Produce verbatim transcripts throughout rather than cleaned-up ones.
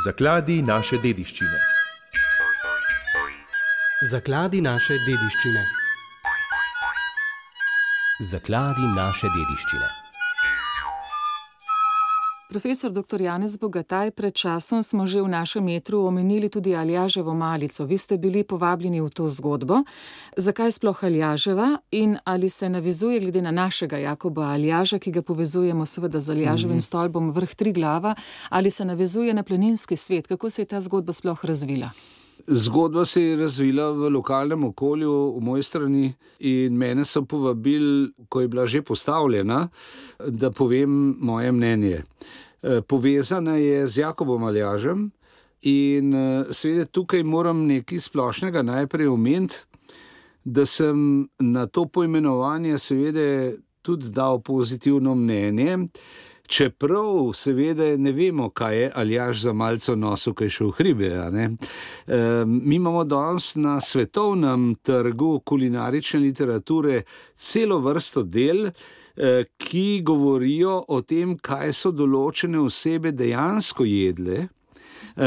Zakladi naše dediščine. Zakladi naše dediščine. Zakladi naše dediščine. Profesor doktor Janez Bogataj, pred časom smo že v našem etru omenili tudi Aljaževo malico. Vi ste bili povabljeni v to zgodbo. Zakaj sploh Aljaževa in ali se navezuje glede na našega Jakoba Aljaža, ki ga povezujemo seveda z Aljaževim mm-hmm. stolpom vrh Triglava, ali se navezuje na planinski svet? Kako se je ta zgodba sploh razvila? Zgodba se je razvila v lokalnem okolju v moji strani in mene so povabili, ko je bila že postavljena, da povem moje mnenje. Povezana je z Jakobom Aljažem in seveda tukaj moram nekaj splošnega najprej omeniti, da sem na to poimenovanje seveda tudi dal pozitivno mnenje, čeprav seveda ne vemo, kaj je Aljaž za malico nosil, kaj še v hribe. E, mi imamo danes na svetovnem trgu kulinarične literature celo vrsto del, e, ki govorijo o tem, kaj so določene osebe dejansko jedle. Uh,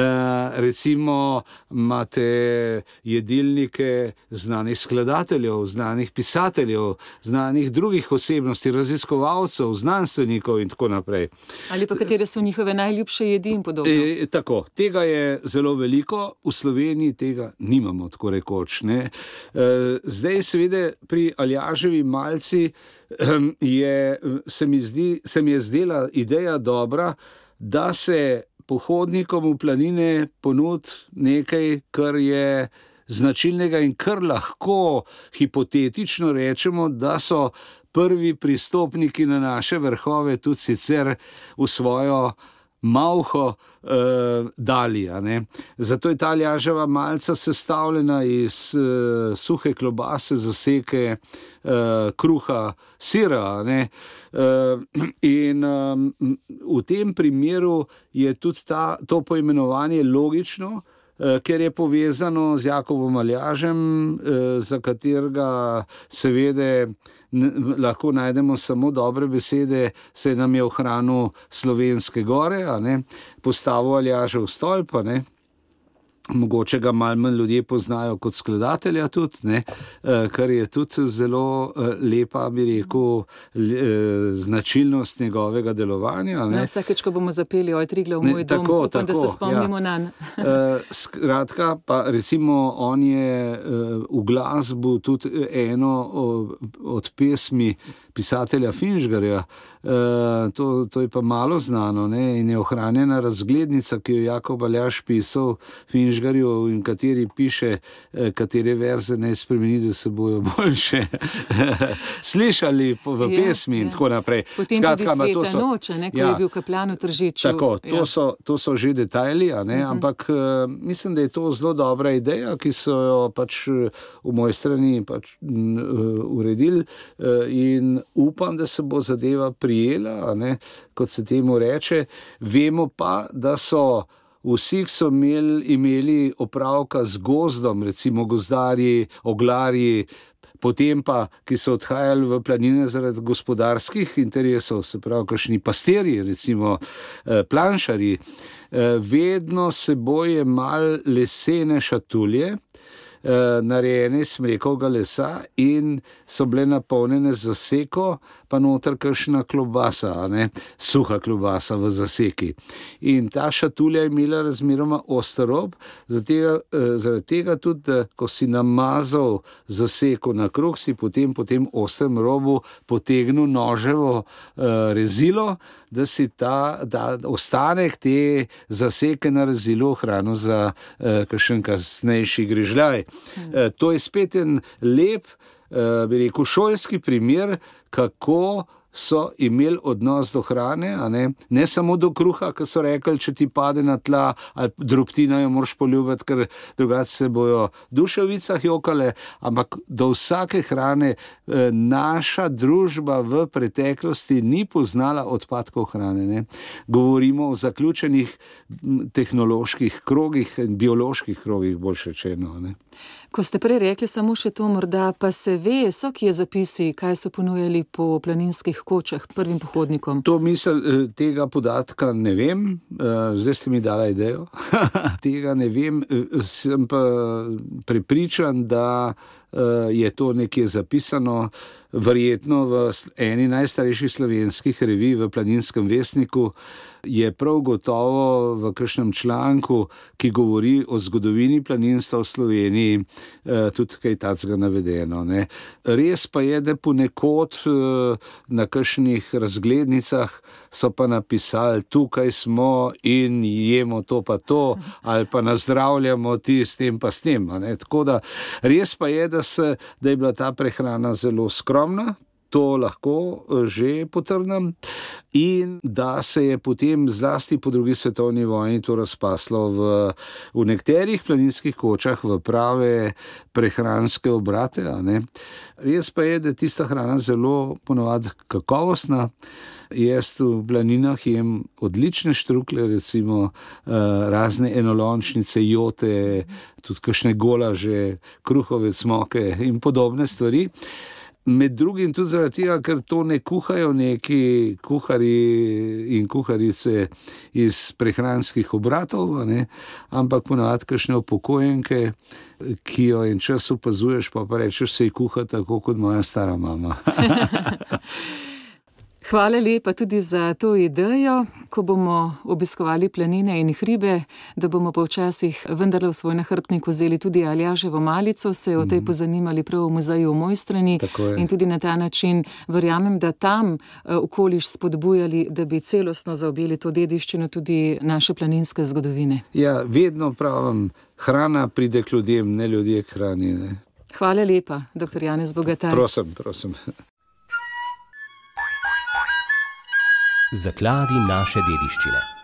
recimo imate jedilnike znanih skladateljev, znanih pisateljev, znanih drugih osebnosti, raziskovalcev, znanstvenikov in tako naprej. Ali pa katere so njihove najljubše jedi in podobno. E, tako, tega je zelo veliko, v Sloveniji tega nimamo tako rekoč. Ne? E, zdaj seveda pri Aljaževi malici um, je, se mi zdi, se mi je zdela ideja dobra, da se pohodnikom v planine ponudi nekaj, kar je značilnega in kar lahko hipotetično rečemo, da so prvi pristopniki na naše vrhove tudi sicer v svojo malho eh, dali. Ne? Zato je ta Aljaževa malica sestavljena iz eh, suhe klobase, zaseke, eh, kruha, sira. Ne? Eh, in eh, v tem primeru je tudi ta, to poimenovanje logično, eh, ker je povezano z Jakobom Aljažem, eh, za katerega seveda lahko najdemo samo dobre besede, se nam je ohranil Slovenske gore, a ne, postavil Aljažev stolp, a ne. Mogoče ga malo manj ljudje poznajo kot skladatelja tudi, ne, kar je tudi zelo lepa, bi rekel, značilnost njegovega delovanja. Ne. No, vsakeč, ko bomo zapeli Oj Triglav, moj dom, tako, upam, tako, da se spomnimo ja. nanj. Skratka, pa recimo on je v glasbu tudi eno od pesmi pisatelja Finžgarja, to, to je pa malo znano, ne, in je ohranjena razglednica, ki jo Jakob Aljaž pisal Finžgarju, in kateri piše, katere verze ne spremeni, da se bojo boljše slišali v pesmi, ja, in ja. Tako naprej. Potem Skratka, tudi Sveta so, noče, ne, ko ja, je bil kaplan v Tržiču. Tako, to, ja. so, to so že detajli, a ne, uh-huh. ampak uh, mislim, da je to zelo dobra ideja, ki so jo pač v moji strani pač uh, uredili uh, in upam, da se bo zadeva prijela, ne, kot se temu reče. Vemo pa, da so vsi, ki so imeli, imeli opravka z gozdom, recimo gozdarji, oglarji, potem pa, ki so odhajali v planine zaradi gospodarskih interesov, se pravi, kakšni pastirji, recimo planšarji, vedno seboj jemali lesene šatulje, narejene iz smrekovega lesa in so bile napolnjene z zaseko, pa noter kakšna klobasa, ne, suha klobasa v zaseki. In ta šatulja je imela razmeroma oster rob, zaradi tega tudi, da ko si namazal zaseko na krog, si potem po tem ostrem robu potegnil noževo uh, rezilo, da si ta da ostanek te zaseke na rezilu ohranil za uh, kakšen kasnejši grižljaj. Hmm. Uh, to je spet en lep, uh, bi rekel, šolski primer, kako so imeli odnos do hrane, a ne? Ne samo do kruha, ki so rekli, če ti pade na tla ali drobtina jo moraš poljubiti, ker drugače se bojo duše v vicah jokale, ampak do vsake hrane naša družba v preteklosti ni poznala odpadkov hrane. Ne? Govorimo o zaključenih tehnoloških krogih, bioloških krogih, bolj rečeno. Ne? Ko ste prej rekli samo še to, morda pa se ve, so kje zapisi, kaj so ponujali po planinskih kočah prvim pohodnikom? To mislim, tega podatka ne vem, zdaj ste mi dala idejo. Tega ne vem, sem pa prepričan, da je to nekje zapisano, verjetno v eni najstarejših slovenskih revij v Planinskem vestniku je prav gotovo v kakšnem članku, ki govori o zgodovini planinstva v Sloveniji, tudi kaj takega navedeno. Ne. Res pa je, da ponekod na kakšnih razglednicah so pa napisali, tukaj smo in jemo to pa to, ali pa nazdravljamo ti s tem pa s tem. Ne. Tako da res pa je, da, se, da je bila ta prehrana zelo skromna, to lahko že potrdim, in da se je potem zlasti po drugi svetovni vojni to razpaslo v, v nekaterih planinskih kočah v prave prehranske obrate. A ne. Res pa je, da je tista hrana zelo ponovadi kakovostna. Jaz v planinah jem odlične štrukle, recimo razne enolončnice, jote, tudi kakšne golaže, kruhove cmoke in podobne stvari. Med drugim tudi zaradi tega, ker to ne kuhajo neki kuhari in kuharice iz prehranskih obratov, ne, ampak ponavadi kakšne upokojenke, ki jo en čas opazuješ, pa pa rečeš, se ji kuha tako kot moja stara mama. Hvala lepa tudi za to idejo, ko bomo obiskovali planine in hribe, da bomo pa včasih vendarle v svoj nahrbtnik vzeli tudi Aljaževo malico, se o tej pozanimali prav v muzeju v Mojstrani in tudi na ta način verjamem, da tam okoliš spodbujali, da bi celostno zaobjeli to dediščino tudi naše planinske zgodovine. Ja, vedno pravim, hrana pride k ljudem, ne ljudje k hrani. Ne. Hvala lepa, doktor Janez Bogataj. Prosim, prosim. Zakladi naše dediščine.